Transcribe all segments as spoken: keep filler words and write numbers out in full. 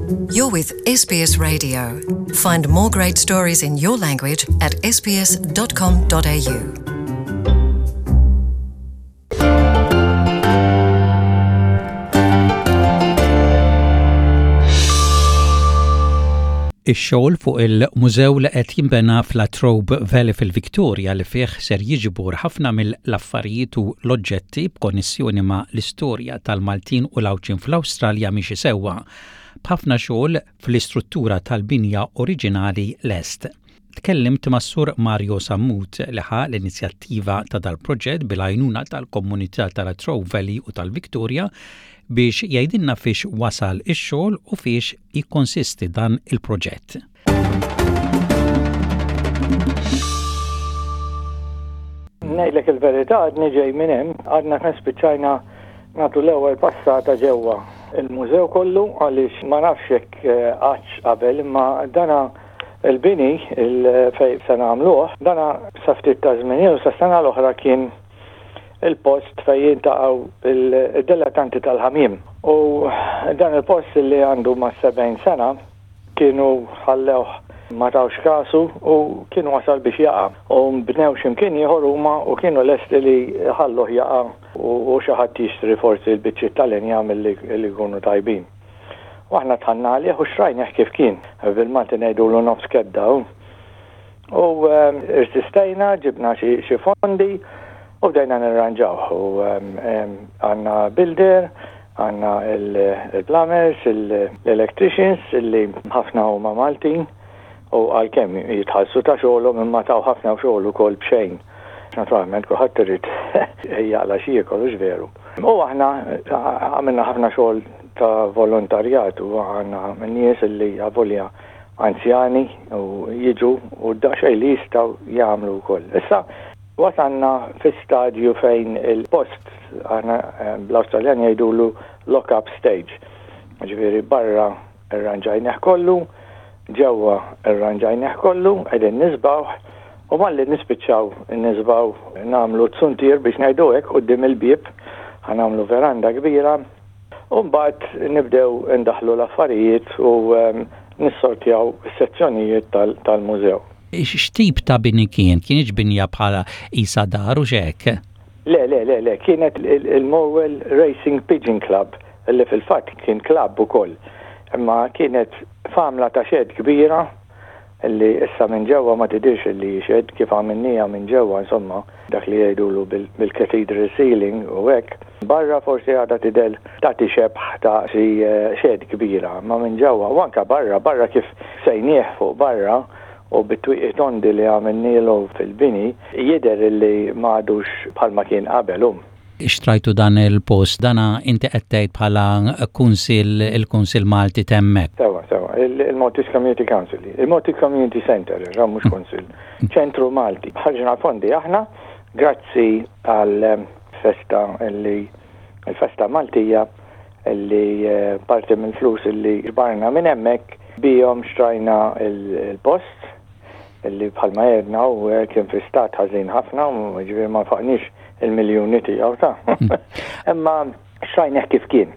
You're with S B S Radio. Find more great stories in your language at S B S dot com dot A U. Ix-xogħol fuq il-mużew li qed jinbena f'Latrobe Valley fil-Victoria, li fih ser jiġbor ħafna mill-affarijiet u l-oġġetti b'konnessjoni ma' l-istorja tal-Maltin u l-Għawdxin fl-Awstralja, miexi sewwa, b'ħafna xogħol fl-istruttura tal-binja oriġinali lest. Tkellimt ma' Sur Mario Sammut, li ħa l-inizjattiva ta' dal-proġett bil-għajnuna tal-komunità tal-Latrobe Valley u tal-Victoria, biex jgħidilna fiex wasal ix-xogħol u fiex jikkonsisti dan il-proġett. Ngħidlek il-verità, għadni ġej minn hemm, għadna kemm spiċċajna nagħtu l-ewwel passata ġewwa il-mużew kollu, għaliex ma nafx jekk eh, għadx qabel, imma dana il-bini il fejn se nagħmluh, dana sa ftit ta' żmien ilu, sa sena l-oħra, kien il-post fejn jiltaqgħu il-dilettanti tal-ħamiem. U dan il-post li għandu ma' sebgħin sena kienu ħallewh, ma tawx kasu u kienu wasal biex jaqa'. U bnew x'imkien ieħor huma u kienu lesti li ħalluh jaqa' u xi ħadd jixtri forsi l-biċċiet tal-injam li jkunu tajbin. U aħna dħalna għalih u xtrajnieh kif kien. Bil-Malti ngħidulu nofs kedda. U irsistejna, ġibna xi fondi u bdejna nirranġaw. U għandna builder, għandna il-plumbers, l-electricians, li ħafna huma Maltin u għalkemm jitħallsu ta' xogħolhom, imma taw ħafna xogħol ukoll b'xejn. Naturalment kulħadd irid jaqla' xi jiekol, hux veru? U aħna għamilna ħafna xogħol ta' volontarjat u għandna nies li avolja anzjani u jiġu u daqsxejn li jistgħu jagħmlu wkoll. Issa wasalna fi stadju fejn il-post, aħna bl-Awstraljan jgħidulu lock-up stage. Ġifieri barra irranġajnieh kollu, ġewwa irranġajnieh kollu, qegħdin niżbgħuh u malli nispiċċaw niżbgħu nagħmlu zuntier, biex ngħidu hekk, quddiem il-bieb, ħa nagħmlu veranda kbira u mbagħad nibdew indaħlu l-affarijiet u nissortjaw is-sezzjonijiet tal-mużew. X'tip ta' bini kien? Kienx binja bħala isa dar u xek? Le, le, le, le, kienet il-Morwell Racing Pigeon Club, li fil-fatt kien club ukoll. Imma kienet famla ta' shed kbira, li issa minn ġewwa ma tidirx li shed, kif għamilnieha minn ġewwa, insomma, dak li jgħidulu bil-cathedral ceiling u hekk. Barra forsi għadha tidher tagħti xebħ ta' xi shed kbira, ma minn ġewwa u anka barra, barra kif sejnieh fuq barra u bit-twieqi tondi li għamilnielu fil-bini, jidher li m'għadux bħalma kien qabel um. Xtrajtu dan il-post, dana inti qed tgħid bħala kunsil, il-Kunsil Malti t'hemmhekk. Sewwa, sewwa, il-Maltese Community Council, il-Maltese Community Center, mhux kunsil, ċentru Malti. Ħarġna fondi aħna, grazzi għal festa li il-festa Maltija, li parti mill-flus li ġbarna minn hemmhekk bihom xtrajna il-post, illi bħalma jedna u kien fi stat ħażin ħafna, u ġifieri ma nfaqniex il-miljuni tiegħu ta'. Imma xtrajnieh kif kien.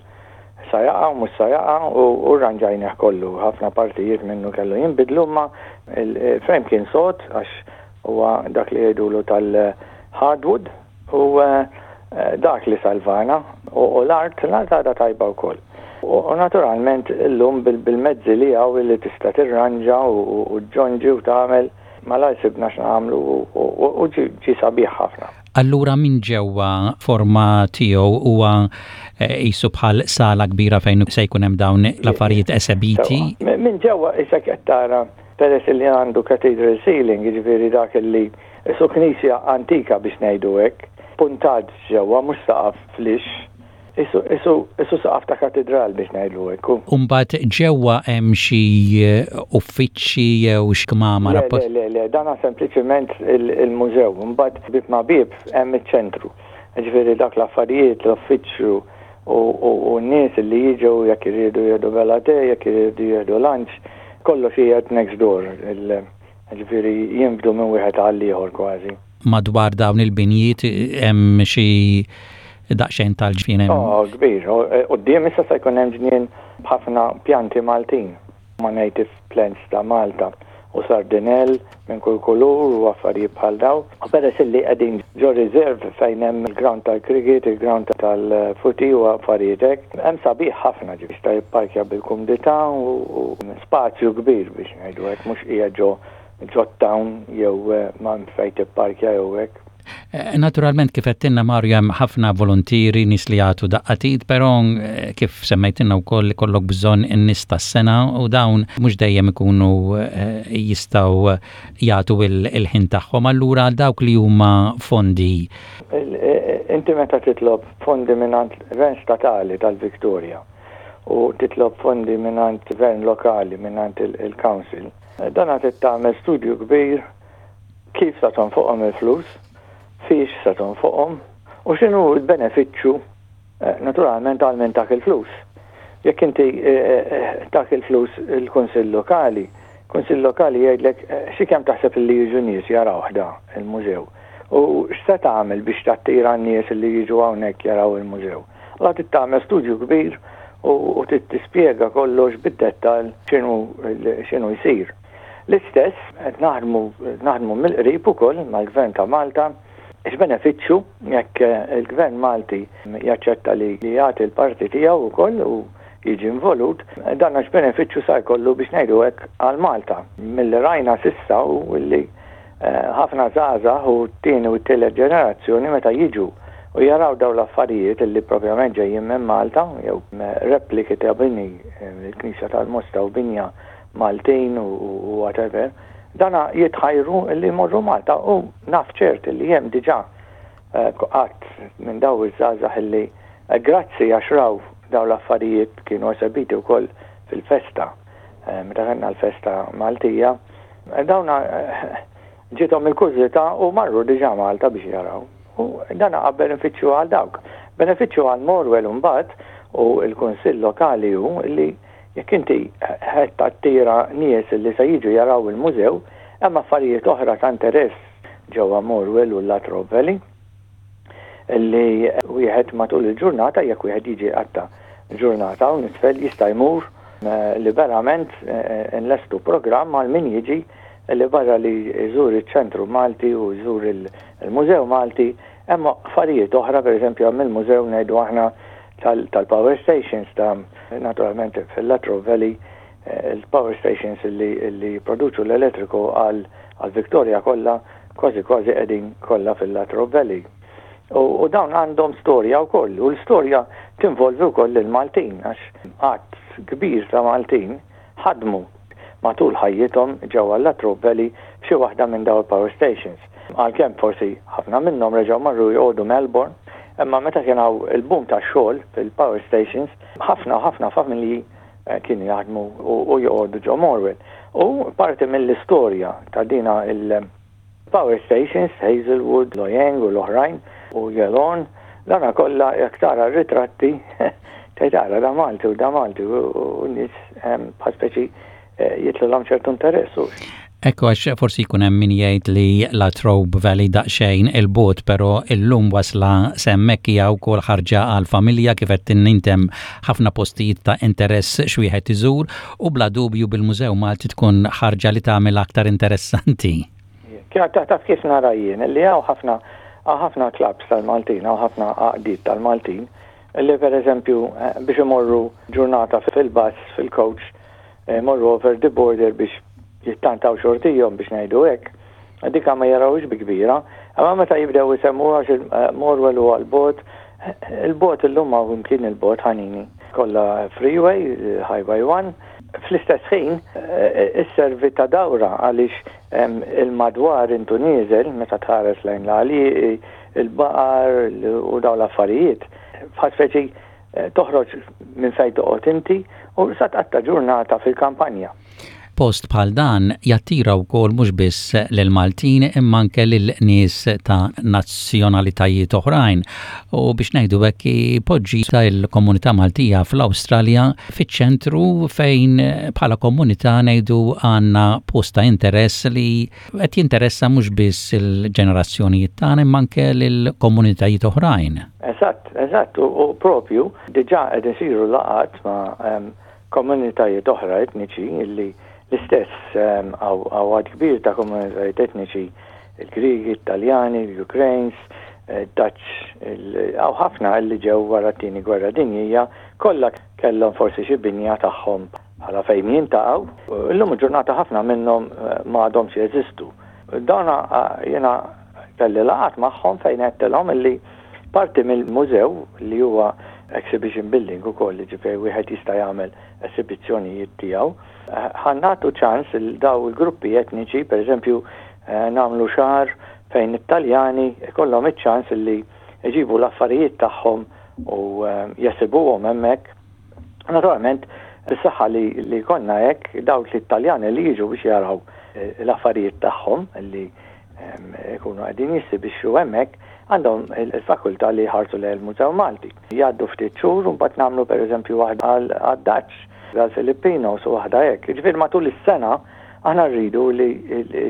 Sa jaqa' u mhux sa jaqa' u rranġajnieh kollu. Ħafna partijiet minnu kellu jinbidlu, ma il-frame kien sod għax huwa dak li jgħidulu tal-hardwood u dak li salvana u l-art, l-art għadha tajba wkoll. U naturalment illum bil-mezzi li hawn li tista' tirranġa u ġonġi u tagħmel, malajr sibna x'nagħmlu u ġi sabiħ ħafna. Allura minn ġewwa forma tiegħu huwa qisu bħal sala kbira fejn se jkun hemm dawn l-affarijiet esebiti. Minn ġewwa issa qed tara, peress li għandu cathedral ceiling, jiġifieri dak li qisu knisja antika, biex ngħidu hekk, puntat ġewwa, mhux saqaf lixx, qisu saqaf ta' katedral, biex ngħidu hekk. Umbagħad ġewwa hemm xi uffiċċji jew x'kmamar? Le, le, le, dana sempliċement il-mużew. Mbagħad bib ma' bib hemm iċ-ċentru. Ġifieri dak l-affarijiet, l-uffiċċju u n-nies li jiġu jekk iridu jieħdu bella te, jekk iridu jieħdu lunch, kollox qiegħed next door. Ġifieri jinfdu minn wieħed għal ieħor kważi. Madwar dawn il-binjiet hemm xi daqsxejn tal-ġnien hemm? Oh, kbir. Quddiem issa se jkun hemm ġnien B'ħafna pjanti Maltin, ma' native plants ta' Malta u sardinell minn kull kulur u affarijiet bħal daw. U peress li qegħdin ġo reserve fejn hemm il-ground tal-cricket, il-ground tal-footy u affarijiet hekk, hemm sabiħ ħafna, ġi jista' jipparkja bil-kumdità u spazju kbir, biex ngħidu hekk, mhux qiegħed ġo ġo town jew eh, ma fejn tipparkja jew hekk. Eh, naturalment, kif għedtilna, Mario, hemm ħafna volontieri, nies li jagħtu daqqa t'id, però eh, kif semmejtilna wkoll ikollok bżonn in-nies tas-sengħa u dawn mhux dejjem ikunu eh, jistgħu jagħtu il-ħin tagħhom. Allura dawk li huma fondi. Inti meta titlob fondi mingħand gvern statali tal-Victoria u titlob fondi mingħand gvern lokali, mingħand il-council, dan għad tagħmel studju kbir kif sa fuqhom il-flus, fiex sa fuqhom u x'inhu l-benefiċċju eh, naturalment għal min tak il-flus. Jekk inti eh, eh, tak il-flus il-Kunsill Lokali, Kunsill Lokali jgħidlek, xi kemm taħseb li jiġu nies jaraw da il-mużew? U x'se tagħmel biex tattira n-nies li jiġu hawnhekk jaraw il-mużew? La tagħmel studju kbir u tispjega kollox bid-dettal x'inhu jsir. L-istess qed naħdmu naħdmu mill-qrib ukoll mal-Gvern ta' Malta x'benefiċċju jekk eh, il-Gvern Malti jaċċetta li jagħti l-parti tiegħu wkoll u jiġi involut, dan għax benefiċċju sa jkollu, biex ngħidu hekk, għal Malta. Milli rajna s'issa u li eh, ħafna żgħażagħ u t-tieni u t-tielet ġenerazzjoni, meta jiġu u jaraw daw l-affarijiet li propjament ġejjin minn Malta jew repliki ta' bini, eh, il-Knisja tal-Mosta u binja Maltin u whatever, dana jitħajru li jmorru Malta u naf ċert li hemm diġà eh, qatt minn daw iż-żgħażagħ li eh, grazzi għax raw daw l-affarijiet kienu esebiti wkoll fil-festa, eh, meta kellna l-festa Maltija, dawna ġiethom il-kurżità u marru diġà Malta biex jaraw. U dana għab benefiċċju għal dawk. Benefiċċju għal Morwell mbagħad u l-Kunsill Lokali hu li jekk inti qed tattira nies li se jiġu jaraw il-mużew, hemm affarijiet oħra ta' interess ġewwa Morwell u Latrobe Valley li wieħed matul il-ġurnata, jekk wieħed jiġi għatta ġurnata u nisfel, jista' jmur eh, liberament. eh, nlestu programm għal min jiġi li barra li jżur iċ-ċentru Malti u jżur il-Mużew Malti, hemm affarijiet oħra, pereżempju hemm il-mużew, ngħidu aħna, tal-power stations ta' naturalment fil-Latrobe Valley, eh, il-power stations li, li produċu l-elettriku għal Victoria kollha, kważi kważi qegħdin kollha fil-Latrobe Valley. U, u dawn għandhom storja wkoll, u l-storja tinvolvi wkoll il-Maltin, għax għadd kbir ta' Maltin ħadmu matul ħajjithom ġewwa l-Latrobe Valley f'xi waħda minn dawn il-power stations. Għalkemm forsi ħafna minnhom reġgħu marru joqogħdu Melbourne, imma meta kien hawn il-boom ta' xogħol fil-power stations, ħafna ħafna familji eh, kienu jaħdmu u joqogħdu ġo Morwell. U parti mill-istorja ta' dina il-power stations, Hazelwood, Loy Yang u l-oħrajn u Yallourn, dana kollha jekk tara ritratti tgħid, "Ara, da Malti u da Malti", u nies bħal speċi eh, jitilgħulhom ċertu interess. Ekku, għax forsi jkun hemm min jgħid li La Trobe Valley daqsxejn 'il bogħod, però illum wasla s'hemmhekk hija wkoll ħarġa għal familja, kif qed tintem ħafna postijiet ta' interess x'wieħed iżur u bla dubju bil-Mużew Malti tkun ħarġa li tagħmel aktar interessanti. Taf kif nara jien, li hawn ħafna ħafna clubs tal-Maltin, hawn ħafna għaqdiet tal-Maltin, li per eżempju eh, biex imorru ġurnata fil-bus, fil-coach, eh, morru over the border biex jittantaw xortihom, biex ngħidu hekk, dika ma jarawx bi kbira, imma meta jibdew isemmu għax Morwell u għal-bogħod, il-bogħod illum ma kien il-bogħod ħanini. Kollha freeway, Highway one, fl-istess ħin eh, isservi ta' dawra għaliex il-madwar intu nieżel meta tħares lejn l-għali, il-baqar u daw l-affarijiet. Bħal speċi eh, toħroġ minn fejn toqgħod inti u sa tqatta' ġurnata fil-kampanja. Post bħal dan jattira wkoll mhux biss lil Maltin imma anke lil nies ta' nazzjonalitajiet oħrajn u, biex ngħidu hekk, ipoġġi ta' il-komunità Maltija fl-Awstralja fiċ-ċentru, fejn bħala komunità, ngħidu, għandna post ta' interess li qed jinteressa mhux biss il-ġenerazzjonijiet tagħna imma anke lil komunitajiet oħrajn. Eżatt, eżatt, u propju diġà qed isiru laqgħat ma' Komunitajiet oħra etniċi illi l-istess hawn għadd kbir ta' komunitajiet etniċi, il-Grigi, Italjani, l-Ukraines, eh, Dutch, hawn ħafna illi ġew wara t-tieni gwerra dinjija, kollha kellhom forsi xi binja tagħhom bħala fejn jiltaqgħu. Illum il-ġurnata ħafna minnhom eh, ma għadhomx jeżistu. Dana eh, jiena kelli laqgħat magħhom fejn għedtilhom illi parti mill-mużew, li huwa exhibition building ukoll, ġifieri wieħed jista' jagħmel esibizzjonijiet tiegħu, ħa nagħtu ċans lil daw il-gruppi etniċi, per eżempju, eh, nagħmlu xahar fejn it-Taljani ikollhom iċ-ċans li jġibu l-affarijiet tagħhom u eh, jesibuhom hemmhekk. Naturalment, bis-saħħa li, li konna hekk, dawk l-Italjani li jiġu biex jaraw eh, l-affarijiet tagħhom li ikunu qegħdin jesibixxu hemmhekk, għandhom il-fakultà li jħarsu lejn il-Mużew Malti. Jgħaddu ftit xhur u mbagħad nagħmlu, pereżempju, waħda għad-Dutch, għal-Filipinos u waħda hekk. Ġifieri matul is-sena aħna rridu li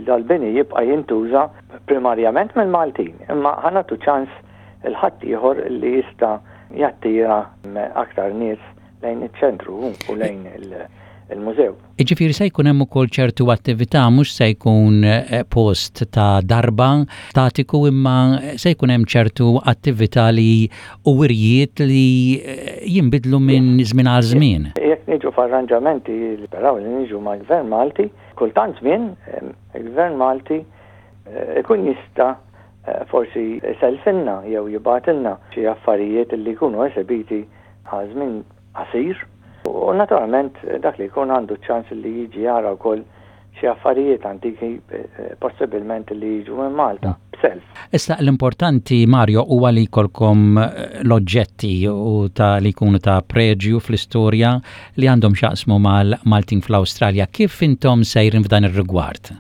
dal-bini jibqa' jintuża primarjament mill-Maltin, imma ħa nagħtu ċans lil ħaddieħor li jista' jattira aktar nies lejn iċ-ċentru u lejn il-mużew. Iġifieri se jkun hemm ukoll ċertu attività, mhux se jkun eh, post ta' darba statiku, imma se jkun hemm ċertu attività li u wirjiet li eh, jinbidlu minn żmien għal żmien. Jekk niġu f'arranġamenti li speraw li niġu mal-Gvern Malti, kultant żmien il-Gvern Malti eh, ikun jista' forsi sellifilna jew jibgħatilna xi affarijiet li jkunu esibiti għal żmien qasir. U naturalment dak li jkun għandu ċans li jiġi jara wkoll xi affarijiet antiki, eh, possibilment li jiġu minn Malta b'self. Issa l-importanti, Mario, huwa li jkollkom eh, l-oġġetti u ta' li jkunu ta' preġju fl-istorja li għandhom x'jaqsmu mal-Maltin fl-Awstralja. Kif intom sejrin f'dan ir-rigward?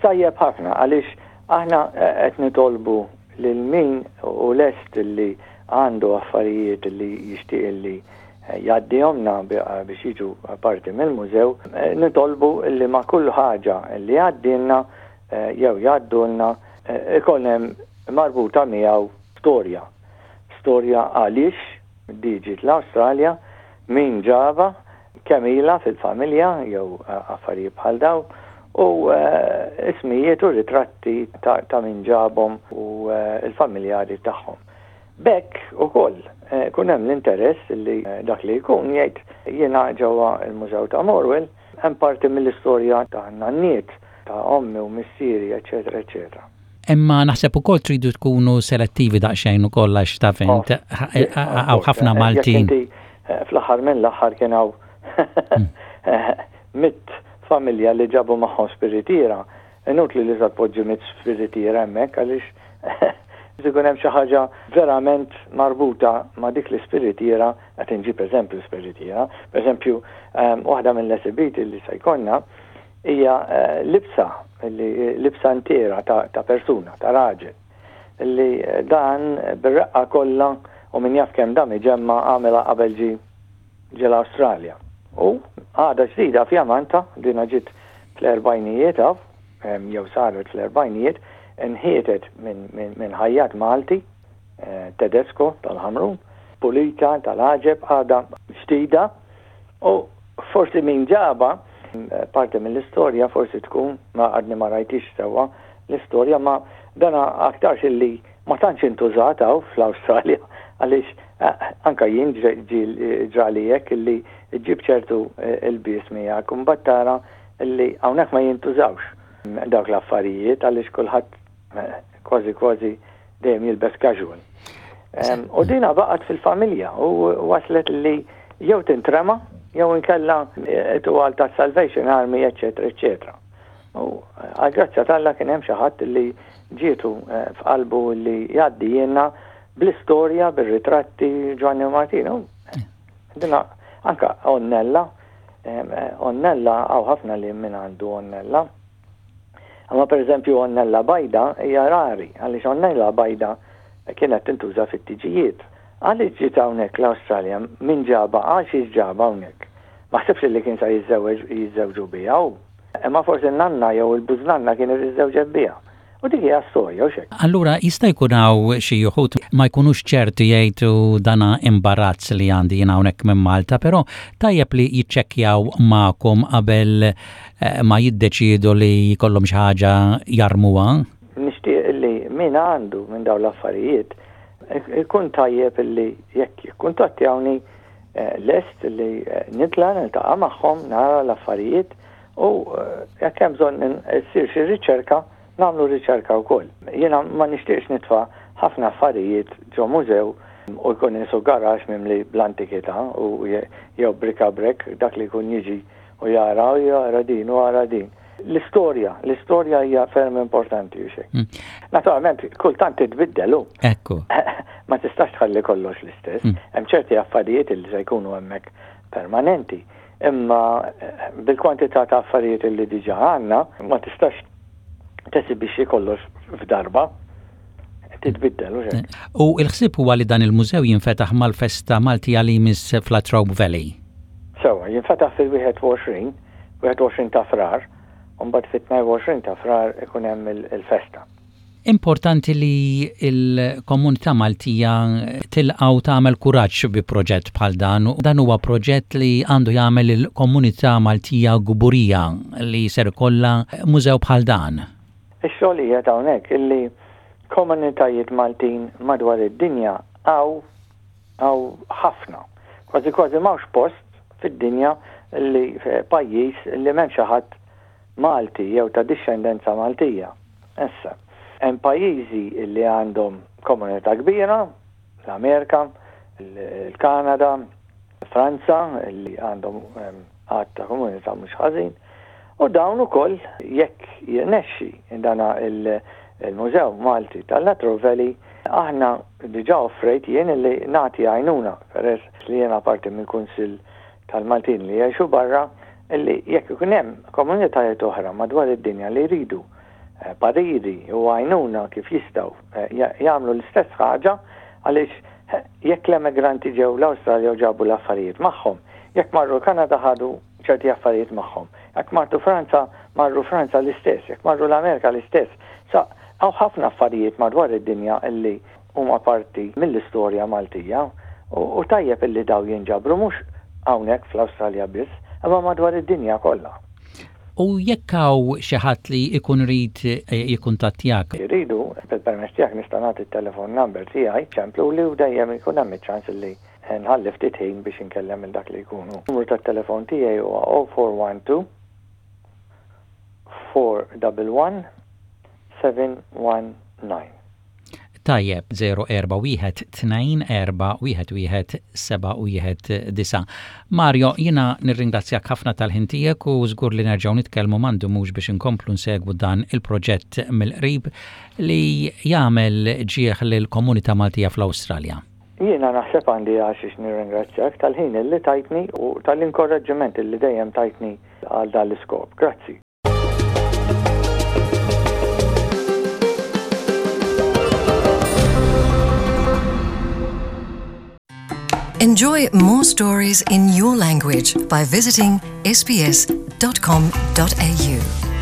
Tajjeb ħafna, għaliex aħna eh, qed nitolbu lil min u lest li għandu affarijiet li jixtieq li jgħaddihomlna biex jiġu parti mill-mużew, eh, nitolbu li ma' kull ħaġa li jgħaddilna eh, jew jgħaddulna eh, ikun hemm marbuta miegħu storja. Storja għaliex ġiet l-Awstralja, min ġabha, kemm ilha fil-familja jew affarijiet bħal daw, u ismijiet u ritratti ta' min ġabhom u il-familjari tagħhom. B'hekk ukoll ikun hemm l-interess li dak li jkun jgħid, "Jiena ġewwa il-Mużew ta' Morwell hemm parti mill-istorja ta' nanniet, ta' ommi u missieri, eċetera, eċetera." Imma naħseb ukoll tridu tkunu selettivi daqsxejn ukoll, għax taf int hawn ħafna Maltin. Fl-aħħar minn l-aħħar kien hawn mitt familja li ġabu magħhom spiritiera. Inutli li tpoġġi mitt spiritiera hemmhekk, għaliex ikun hemm xi ħaġa verament marbuta ma' dik l-ispiritiera, qed inġib eżempju spiritiera. Per eżempju, ehm, waħda mill-esibiti li se jkollna hija eh, libsa, li libsa intiera ta', ta persuna, ta' raġel, li dan bir-reqqa kollha u min jaf kemm dam iġemma' għamela qabel ġi ġie l-Awstralja. U għada ġdida fjamanta, dina ġiet fl-erbgħinijiet, jew saret fl-erbgħinijiet, inħietet minn min, min ħajjat Malti, eh, Tedesco tal-Ħamrun, pulita tal-għaġeb, għada ġdida, u forsi min ġabha, eh, parti mill-istorja forsi tkun, ma għadni ma rajtix sewwa l-istorja, ma dana aktarx illi ma tantx intużat fl-Awstralja, għaliex eh, anka jien ġrali hekk illi ġib ċertu ilbies miegħek u mbagħad tara illi hawnhekk ma jintużawx dawk l-affarijiet, għaliex kulħadd kważi kważi dejjem jilbes casual. U dina baqgħet fil-familja u waslet li jew tintrema jew inkella tuqal ta' Salvation Army, eccetera, eccetera. U għal-grazzja t'Alla kien hemm xi ħadd li ġietu eh, f'qalbu li jgħaddihielna bl-istorja, bir-ritratti, Giovanni Martino. Dina anka għonnella, għonnella hawn ħafna li minn għandu għonnella. Imma per eżempju għonnella bajda hija rari, għaliex għonnella bajda kienet tintuża fit-tiġijiet. Għaliex ġiet hawnhekk l-Awstralja, min ġabha, għaliex ġabha hawnhekk? Ma ħsibx li kien sa jiżżewġ jiżżewġu biha. Imma forsi n-nanna jew il-bużnanna kienet iżżewġet biha. U dik hija storja u xek. Allura jista' jkun hawn xi wħud ma jkunux ċerti, jgħidu dana imbarazz li għandi jien hawnhekk minn Malta, però tajjeb li jiċċekkjaw magħkom qabel eh, ma jiddeċiedu li jkollhom xi ħaġa jarmuha. Nixtieq li min għandu minn dawn l-affarijiet ikun tajjeb li jekk jikkuntattjawni, eh, lest li eh, nitla' niltaqa' magħhom, nara l-affarijiet u jekk hemm bżonn issir xi riċerka, nagħmlu riċerka wkoll. Jiena ma nixtieqx nitfa' ħafna affarijiet ġo mużew u jkun qisu garaxx mimli bl-antikità u jew bric-a-brac, dak li jkun jiġi u jara u jara din u jara din. L-istorja, l-istorja hija ferm importanti u xejn. Mm. Naturalment, kultant titbiddelu. Ekku. Ma tistax tħalli kollox l-istess. Mm. Hemm ċerti affarijiet li se jkunu hemmhekk permanenti. Imma eh, bil-kwantità ta' affarijiet li diġà għandna, ma tistax tesibixxi kollox f'darba, titbiddel u xejn. U il-ħsieb huwa li dan il-mużew jinfetaħ mal-festa Maltija li jmiss f'Latrobe Valley. Sewwa, jinfetaħ fil-wieħed u għoxrin, wieħed u għoxrin ta' Frar, u mbagħad fit-tnejn u għoxrin ta' Frar ikun hemm il-festa. Importanti li il-komunità Maltija tilqa' u tagħmel kuraġġ bi proġett bħal dan. Dan huwa proġett li għandu jagħmel il-komunità Maltija kburija li ser ikollha mużew bħal dan. Ix-xogħol hija hawnhekk illi komunitajiet Maltin madwar id-dinja hawn hawn ħafna. Kważi kważi m'hawnx post fid-dinja li pajjiż li m'hemm xi ħadd Malti jew ta' dixxendenza Maltija. Issa, hemm pajjiżi li għandhom komunità kbira, l-Amerika, il-Kanada, Franza, li għandhom għadd ta' komunità mhux ħażin. U dawn ukoll jekk jirnexxi dana il-Mużew Malti tal-Latrobe Valley, aħna diġà offrejt jien li nagħti għajnuna, peress li jiena parti mill-Kunsill tal-Maltin li jgħixu barra, illi jekk ikun hemm komunitajiet oħra madwar id-dinja li jridu eh, pariri u għajnuna kif jistgħu eh, jagħmlu l-istess ħaġa, għaliex eh, jekk l-emigranti ġew l-Awstralja u ġabu l-affarijiet magħhom, jekk marru Kanada ħadu ċerti affarijiet magħhom. Jekk marru Franza, marru Franza l-istess, jekk marru l-Amerika l-istess. Sa hawn ħafna affarijiet madwar id-dinja illi huma parti mill-istorja Maltija u tajjeb illi daw jinġabru mhux hawnhekk fl-Awstralja biss, imma madwar id-dinja kollha. U jekk hawn xi ħadd li jkun irid eh, jikkuntattjak? Jridu, bil-permess tiegħek nista' nagħti t-telefon number tiegħi, ċemplu li u dejjem ikun hemm iċ-ċans li nħalli ftit ħin biex inkellem il dak li jkunu. Numru tat-telefon tiegħi huwa zero four one two four one one seven one nine. Tajjeb, zero erba' wieħed tnejn erba' wieħed wieħed seba' wieħed disa'. Mario, jiena nirringrazzjak ħafna tal-ħin tiegħek u żgur li nerġgħu nitkellmu m'għandu mhux biex inkomplu nsegwu dan il-proġett mill-qrib li jagħmel ġieħ lill-komunità Maltija fl-Awstralja. Jiena naħseb għandi għaxiex nirringrazzjak tal-ħin li tajtni u tal-inkoraġġiment li dejjem tajtni għal dan l-iskop. Grazzi. Enjoy more stories in your language by visiting S B S dot com dot A U.